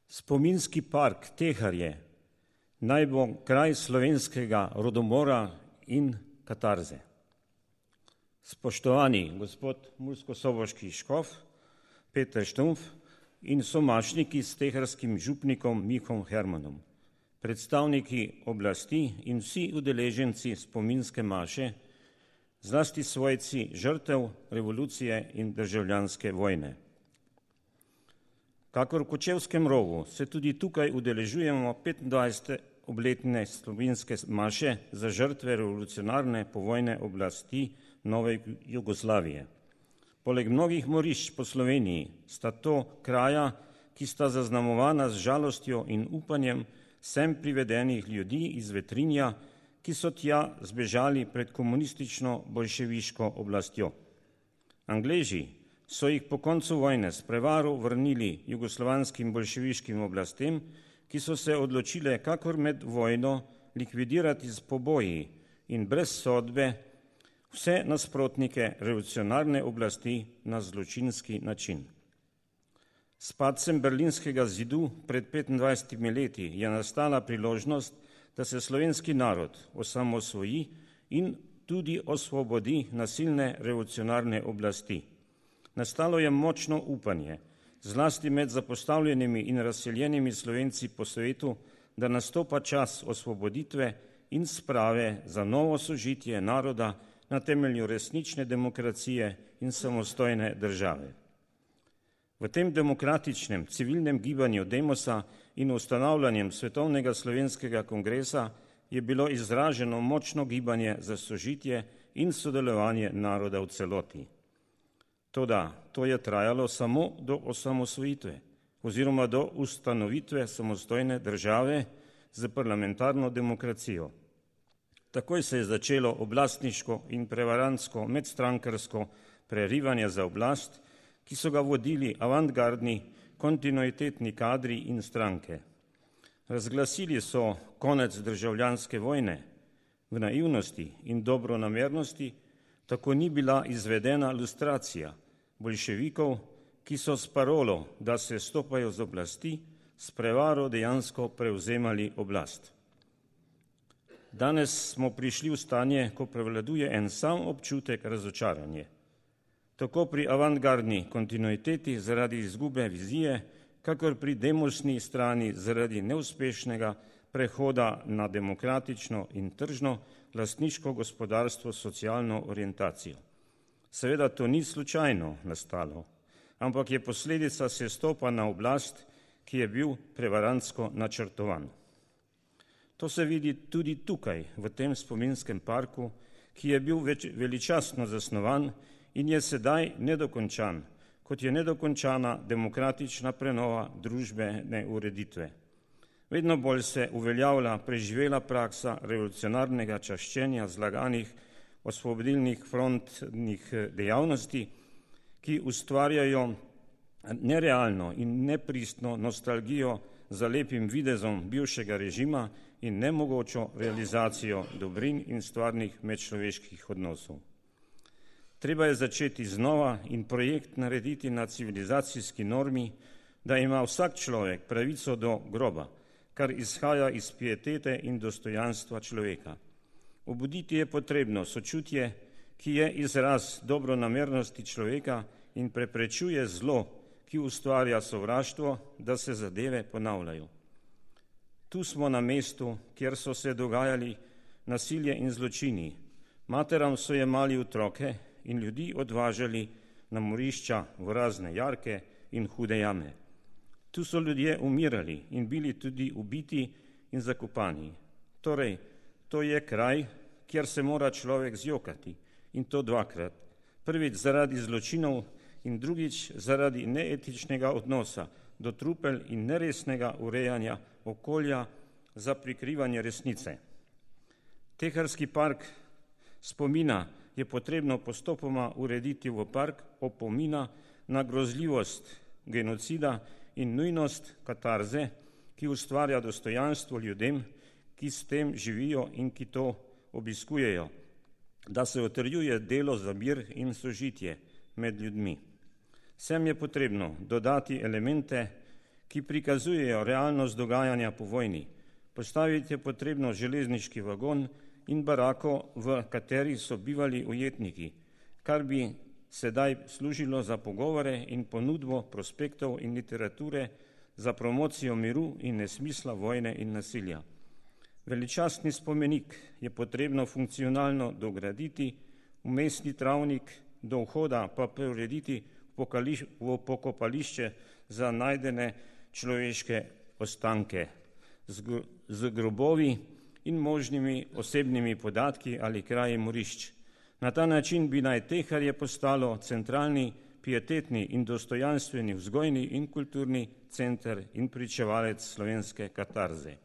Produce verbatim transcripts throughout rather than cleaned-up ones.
Spominski park Teharje naj bo kraj slovenskega rodomora in katarze. Spoštovani gospod murskosoboški škof Peter Štumpf in somašniki s teharskim župnikom Mihom Hermanom, predstavniki oblasti in vsi udeleženci spominske maše, zlasti svojci žrtev revolucije in državljanske vojne. Kakor v Kočevskem rogu se tudi tukaj udeležujemo petindvajsete obletne spominske maše za žrtve revolucionarne povojne oblasti Nove Jugoslavije. Poleg mnogih morišč po Sloveniji sta to kraja, ki sta zaznamovana z žalostjo in upanjem sem privedenih ljudi iz Vetrinja, ki so tja zbežali pred komunistično bolševiško oblastjo. Angleži so jih po koncu vojne s prevaro vrnili jugoslovanskim bolševiškim oblastem, ki so se odločile kakor med vojno likvidirati z poboji in brez sodbe vse nasprotnike revolucionarne oblasti na zločinski način. S padcem berlinskega zidu pred petindvajsetimi leti je nastala priložnost, da se slovenski narod osamosvoji in tudi osvobodi nasilne revolucionarne oblasti. Nastalo je močno upanje, zlasti med zapostavljenimi in razseljenimi Slovenci po svetu, da nastopa čas osvoboditve in sprave za novo sožitje naroda na temelju resnične demokracije in samostojne države. V tem demokratičnem civilnem gibanju Demosa in ustanavljanjem Svetovnega slovenskega kongresa je bilo izraženo močno gibanje za sožitje in sodelovanje naroda v celoti. Toda to je trajalo samo do osamosvojitve oziroma do ustanovitve samostojne države z parlamentarno demokracijo. Takoj se je začelo oblastniško in prevarantsko medstrankarsko prerivanje za oblast, ki so ga vodili avantgardni, kontinuitetni kadri in stranke. Razglasili so konec državljanske vojne. V naivnosti in dobronamernosti tako ni bila izvedena lustracija boljševikov, ki so s parolo, da se stopajo z oblasti, s prevaro dejansko prevzemali oblast. Danes smo prišli v stanje, ko prevladuje en sam občutek razočaranje. Tako pri avantgardni kontinuiteti zaradi izgube vizije, kakor pri demosni strani zaradi neuspešnega prehoda na demokratično in tržno lastniško gospodarstvo socialno orientacijo. Seveda to ni slučajno nastalo, ampak je posledica sestopa na oblast, ki je bil prevarantsko načrtovan. To se vidi tudi tukaj, v tem spominskem parku, ki je bil več, veličastno zasnovan in je sedaj nedokončan, kot je nedokončana demokratična prenova družbene ureditve. Vedno bolj se uveljavlja preživela praksa revolucionarnega čaščenja zlaganih osvobodilnih frontnih dejavnosti, ki ustvarjajo nerealno in nepristno nostalgijo za lepim videzom bivšega režima in nemogočo realizacijo dobrin in stvarnih medčloveških odnosov. Treba je začeti znova in projekt narediti na civilizacijski normi, da ima vsak človek pravico do groba, kar izhaja iz pietete in dostojanstva človeka. Obuditi je potrebno sočutje, ki je izraz dobronamernosti človeka in preprečuje zlo, ki ustvarja sovraštvo, da se zadeve ponavljajo. Tu smo na mestu, kjer so se dogajali nasilje in zločini. Materam so jemali otroke in ljudi odvažali na morišča v razne jarke in hude jame. Tu so ljudje umirali in bili tudi ubiti in zakopani. Torej, to je kraj, kjer se mora človek zjokati, in to dvakrat. Prvič zaradi zločinov in drugič zaradi neetičnega odnosa do trupel in neresnega urejanja okolja za prikrivanje resnice. Teharski park spomina je potrebno postopoma urediti v park opomina na grozljivost genocida in nujnost katarze, ki ustvarja dostojanstvo ljudem, ki s tem živijo in ki to obiskujejo, da se utrjuje delo za mir in sožitje med ljudmi. Sem je potrebno dodati elemente, ki prikazujejo realnost dogajanja po vojni. Postaviti je potrebno železniški vagon in barako, v kateri so bivali ujetniki, kar bi sedaj služilo za pogovore in ponudbo prospektov in literature za promocijo miru in nesmisla vojne in nasilja. Veličastni spomenik je potrebno funkcionalno dograditi, vmesni travnik do vhoda pa preurediti v pokopališče za najdene človeške ostanke z grobovi in možnimi osebnimi podatki ali kraji morišč. Na ta način bi naj Teharje postalo centralni, pietetni in dostojanstveni vzgojni in kulturni center in pričevalec slovenske katarze.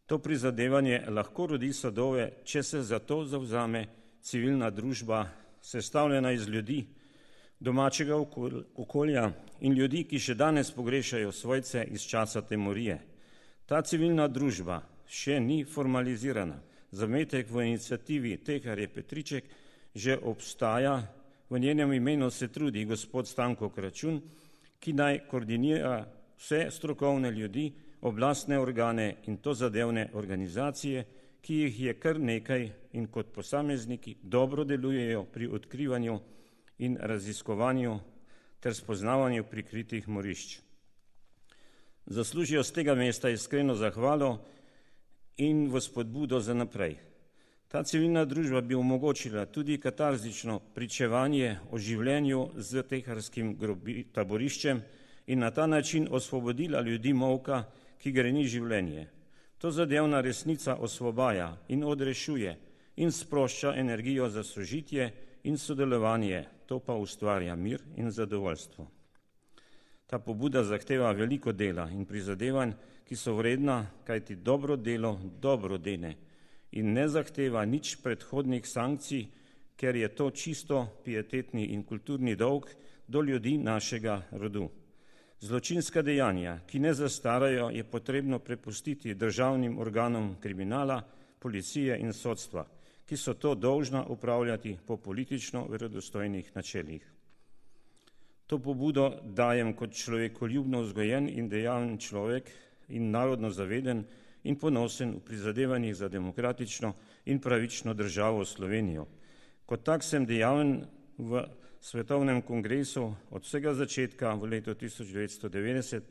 To prizadevanje lahko rodi sadove, če se za to zavzame civilna družba, sestavljena iz ljudi, domačega okolja in ljudi, ki še danes pogrešajo svojce iz časa temorije. Ta civilna družba še ni formalizirana. Zametek v iniciativi Teharje Petriček že obstaja, v njenem imenu se trudi gospod Stanko Kračun, ki naj koordinira vse strokovne ljudi, oblastne organe in tozadevne organizacije, ki jih je kar nekaj in kot posamezniki dobro delujejo pri odkrivanju in raziskovanju ter spoznavanju prikritih morišč. Zaslužijo z tega mesta iskreno zahvalo in v spodbudo za naprej. Ta civilna družba bi omogočila tudi katarzično pričevanje o življenju z teharskim taboriščem in na ta način osvobodila ljudi molka, ki greni življenje. To zadevna resnica osvobaja in odrešuje in sprošča energijo za sožitje in sodelovanje, to pa ustvarja mir in zadovoljstvo. Ta pobuda zahteva veliko dela in prizadevanj, ki so vredna, kajti dobro delo dobro dene in ne zahteva nič predhodnih sankcij, ker je to čisto pietetni in kulturni dolg do ljudi našega rodu. Zločinska dejanja, ki ne zastarajo, je potrebno prepustiti državnim organom kriminala, policije in sodstva, ki so to dolžna upravljati po politično verodostojnih načelih. To pobudo dajem kot človekoljubno vzgojen in dejaven človek in narodno zaveden in ponosen v prizadevanjih za demokratično in pravično državo Slovenijo. Kot tak sem dejaven v Svetovnem kongresu od vsega začetka v letu tisoč devetsto devetdeset,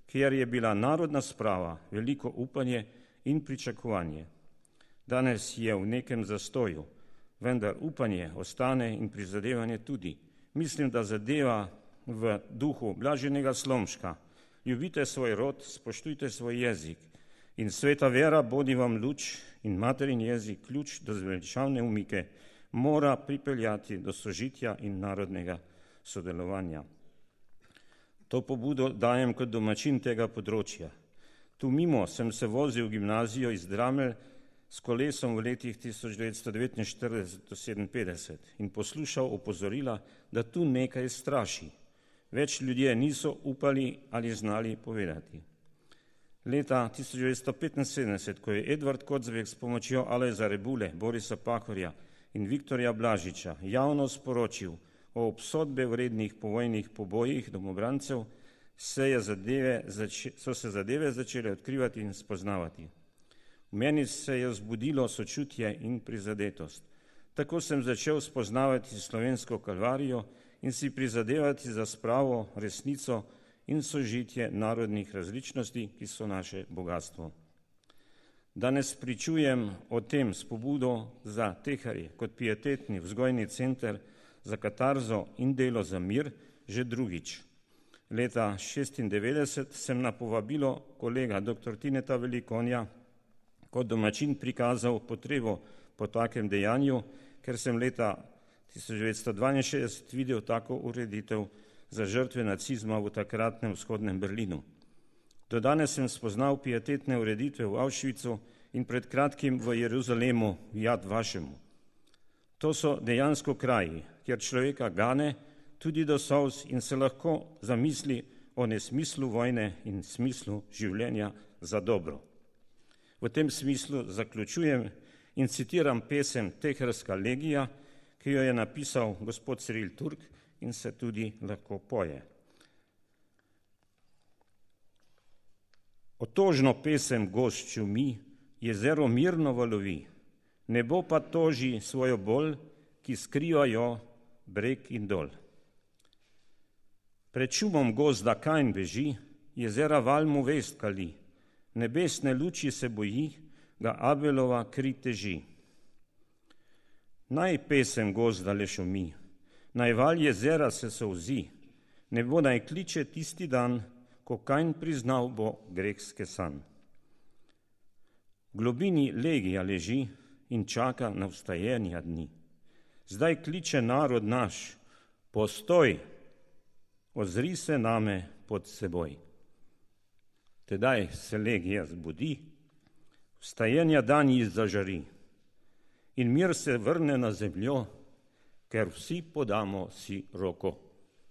kjer je bila narodna sprava veliko upanje in pričakovanje. Danes je v nekem zastoju, vendar upanje ostane in prizadevanje tudi. Mislim, da zadeva v duhu Blaženega Slomška. Ljubite svoj rod, spoštujte svoj jezik in sveta vera bodi vam luč in materin jezik ključ do zveličavne umike mora pripeljati do sožitja in narodnega sodelovanja. To pobudo dajem kot domačin tega področja. Tu mimo sem se vozil v gimnazijo iz Dramelj s kolesom v letih tisoč devetsto devetinštirideset do sedeminpetdeset in poslušal opozorila, da tu nekaj straši. Več ljudje niso upali ali znali povedati. Leta tisoč devetsto petinsedemdeset, ko je Edvard Kocbek s pomočjo Alojza Rebule, Borisa Pahorja in Viktorja Blažiča javno sporočil o obsodbe vrednih povojnih pobojih domobrancev, se je zadeve, so se zadeve začele odkrivati in spoznavati. V meni se je vzbudilo sočutje in prizadetost. Tako sem začel spoznavati slovensko kalvarijo in si prizadevati za spravo, resnico in sožitje narodnih različnosti, ki so naše bogatstvo. Danes pričujem o tem s pobudo za Teharje kot pietetni vzgojni center za katarzo in delo za mir že drugič. Leta šestindevetdeset sem na povabilo kolega doktor Tineta Velikonja kot domačin prikazal potrebo po takem dejanju, ker sem leta tisoč devetsto dvainšestdeset videl tako ureditev za žrtve nacizma v takratnem vzhodnem Berlinu. Do danes sem spoznal pietetne ureditve v Auschwitzu in pred kratkim v Jeruzalemu v Jad Vašemu. To so dejansko kraji, kjer človeka gane tudi do solz in se lahko zamisli o nesmislu vojne in smislu življenja za dobro. V tem smislu zaključujem in citiram pesem Teharska legija, ki jo je napisal gospod Ciril Turk in se tudi lahko poje. Otožno pesem gozd šumi, jezero mirno valovi, nebo pa toži svojo bol, ki skrivajo breg in dol. Pred šumom gozda Kain beži, jezera val mu vest kali, nebesne luči se boji, ga Abelova kri teži. Naj pesem gozda le šumi, naj val jezera se solzi, nebo naj kliče tisti dan, ko Kain priznal bo grehske san. V globini legija leži in čaka na vstajenja dni. Zdaj kliče narod naš, postoj, ozri se name pod seboj. Tedaj se legija zbudi, vstajenja dan ji zažari in mir se vrne na zemljo, ker vsi podamo si roko.